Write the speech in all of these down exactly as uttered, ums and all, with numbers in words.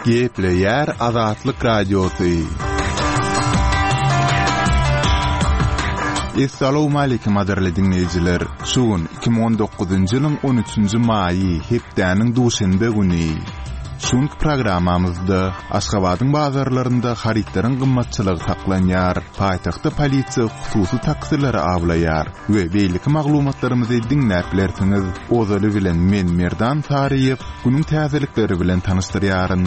Gepleýär Azatlyk Radiosy. Essalawmaleýkim gadyrly diňleýjiler! Şu gün iki müň on dokuzynjy ýylyň on üçünji maýy, hepdäniň duşenbe güni. Şu günki programmamyzda Aşgabadyň bazarlarynda harytlaryň gymmatçylygy saklanýar, paýtagtda polisiýa hususy taksileri awlaýar we beýleki maglumatlarymyzy diňläp bilersiňiz. Ozaly bilen men Merdan Saryýew günüň täzelikleri bilen tanyşdyrýaryn.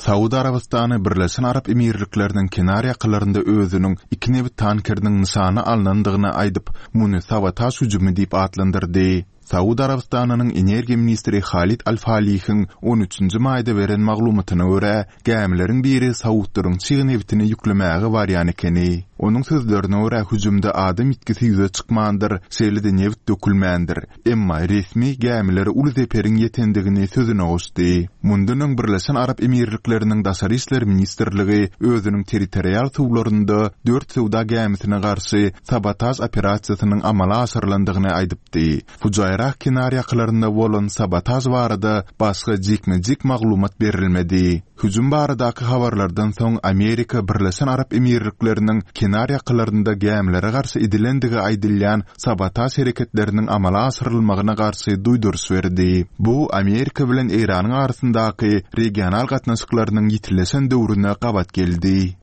Saud Arabystany Birleşen Arap Emirlikleriniň kenar ýakalarynda özüniň iki nebit tankeriniň nyşana alnandygyny aýdyp, muny sabotaž hüjümi diýip atlandyrdy. Saud Arabystanynyň energiýa ministri Halid Al-Falihiň on üçünji maýda beren maglumatyna görä, gämileriň biri saudlaryň çig nebitini ýüklemäge barýan ekeni. Onuň sözlerine görä, hüjümde adam ýitgisi ýüze çykmandyr, şeýle-de nebit dökülmändir. Emma resmi gämilere uly zeperiň ýetendigini sözüne goşdy. Mundan öň Birleşen Arap Emirlikleriniň Daşary işler ministrligi özüniň territorial suwlarynda dört söwda gämisine garşy sabotaž operasiýasynyň amala aşyrylandygyny aýdypdy. Fujaýrah kenar ýakalarynda bolan sabotaž barada başga jikme-jik maglumat berilmedi. Hüjüm baradaky habarlardan soň Amerika Birleşen Arap Emirlikleriniň kenar ýakalarynda gämilere garşy edilendigi aýdylýan sabotaž hereketleriniň amala aşyrylmagyna garşy duýduryş berdi. Bu Amerika bilen Eýranyň arasyndaky regional gatnaşyklarynyň ýitileşen döwrüne gabat geldi.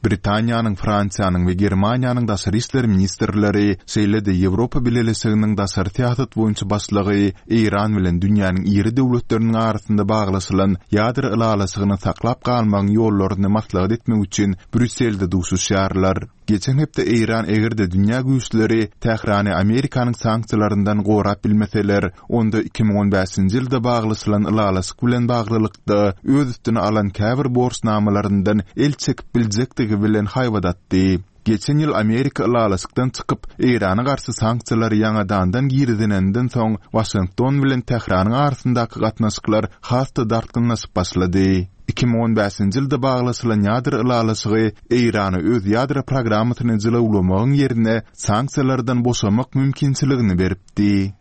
Britaniýanyň, Fransiýanyň we Germaniýanyň daşary işler ministrleri, şeýle-de Ýewropa Bileleşiginiň daşary syýasat boýunça başlygy Eýran bilen dünýäniň iri döwletleriniň arasynda baglaşylan ýadro ylalaşygyny saklap galmagyň ýollaryny maslahat etmek üçin Brýusselde duşuşýarlar. Geçen hepde Eýran eger-de dünýä güýçleri Tährany Amerikanyň sanksiýalaryndan gorap bilmeseler, onda iki müň on bäşinji ýylda baglaşylan ylalaşyk bilen baglylykda öz üstüne alan käbir borçnamalaryndan el çekip biljekdigi bilen haýbat atdy. Geçen ýyl Amerika ylalaşykdan çykyp, Eýrana garşy sanksiýalary ýaňadandan girizilenden soň Waşington bilen Tähranyň arasyndaky gatnaşyklar has-da dartgynlaşyp başlady. Iki müň on bäşinji ýylda baglaşylan ýadro ylalaşygy Eýrana öz ýadro programmasyny jylawlamagyň ýerine sanksiýalardan boşamak mümkinçiligini beripdi.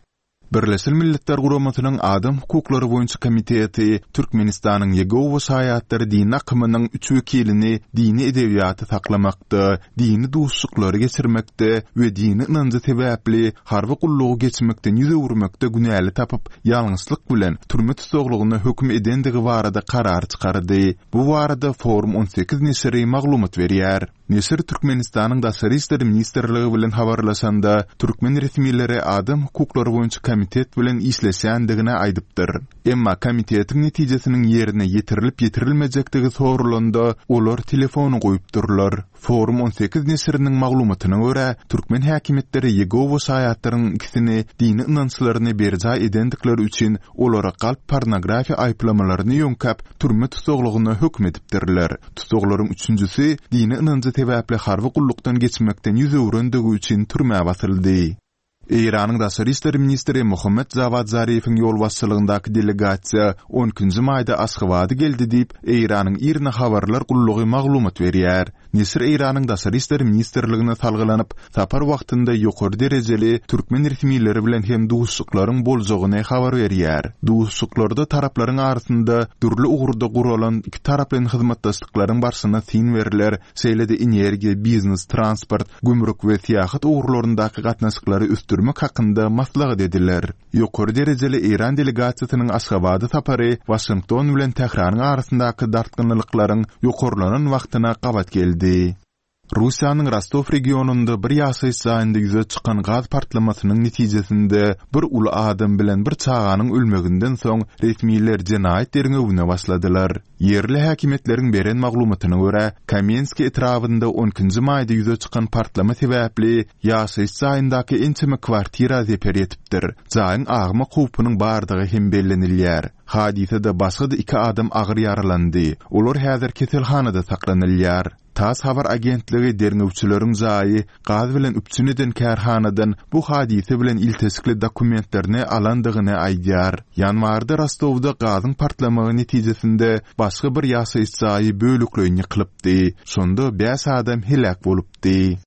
Birleşen Milletler Guramasynyň Adam hukuklary boýunça komiteti Türkmenistanyň Ýegowa şaýatlary dini akymynyň üç wekilini dini edebiýaty saklamakda, dini duşuşyklary geçirmekde we dini ynanjy sebäpli harby gullugy geçmekden ýüz öwürmekde günäli tapyp, ýalňyşlyk bilen türme tussaglygyna höküm edendigi barada karar çykardy. Bu barada Forum on sekiz neşiri maglumat berýär. Neşir Türkmenistanyň Daşary işler ministrligi bilen habarlaşanda, türkmen resmileri adam hukuklary boýunça komitet bilen işleşýändigini aýdypdyr. Emma komitetiň netijesiniň ýerine ýetirilip-ýetirilmejekdigi sorulanda, olar telefony goýupdyrlar. Forum on sekiz neşiriniň maglumatyna görä, türkmen häkimiýetleri Ýegowa şaýatlaryň ikisini dini ynançlaryny berjaý edendikleri üçin olara galp pornografiýa aýyplamalaryny ýöňkäp, türme tussaglygyna höküm edipdirler. Tussaglaryň üçünjisi dini ynanjy sebäpli harby gullukdan geçmekden ýüz öwrendigi üçin türmä basyldy. Eýranyň daşary işler ministri Muhammed Jawad Zarifiň ýolbaşçylygyndaky delegasiýa on ikinji maýda Aşgabada geldi diýip, Eýranyň IRNA habarlar gullugy maglumat berýär. Neşir Eýranyň daşary işler ministrligine salgylanyp, sapar wagtynda ýokary derejeli türkmen resmileri bilen hem duşuşyklaryň boljagyny habar berýär. Duşuşyklarda taraplaryň arasynda dürli ugurda guralan iki taraplaýyn hyzmatdaşlyklaryň barşyna syn berler, şeýle-de energiýa, biznes, transport, gümrük we syýahat ugurlaryndaky gatnaşyklary ösdürmek hakynda maslahat ediler. Ýokary derejeli Eýran delegasiýasynyň Aşgabada sapary Waşington bilen Tähranyň arasyndaky dartgynlyklaryň ýokarlanan wagtyna gabat geldi. Russiýanyň Rostow regionynda bir ýaşaýyş jaýynda ýüze çykan gaz partlamasynyň netijesinde bir uly adam bilen bir çaganyň ölmeginden soň resmiler jenaýat derňewine başladylar. Ýerli häkimiýetleriň beren maglumatyna görä, Kamenskiý etrabynda on ikinji maýda ýüze çykan partlama sebäpli ýaşaýyş jaýyndaky ençeme kwartira zeper ýetipdir. Jaýyň agmak howpunyň bardygy hem bellenilýär. Hadysada başga-da iki adam agyr ýaralandy. Olar häzir keselhanada saklanylýar. TASS habar agentligi derňewçileriň jaýy gaz bilen üpjün eden kärhanadan bu hadysa bilen ilteşikli dokumentlerini alandygyny aýdýar. Ýanwarda Rostowda gazyň partlamagy netijesinde başga bir ýaşaýyş jaýy bölekleýin ýykylypdy. Şonda bäş adam heläk bolupdy.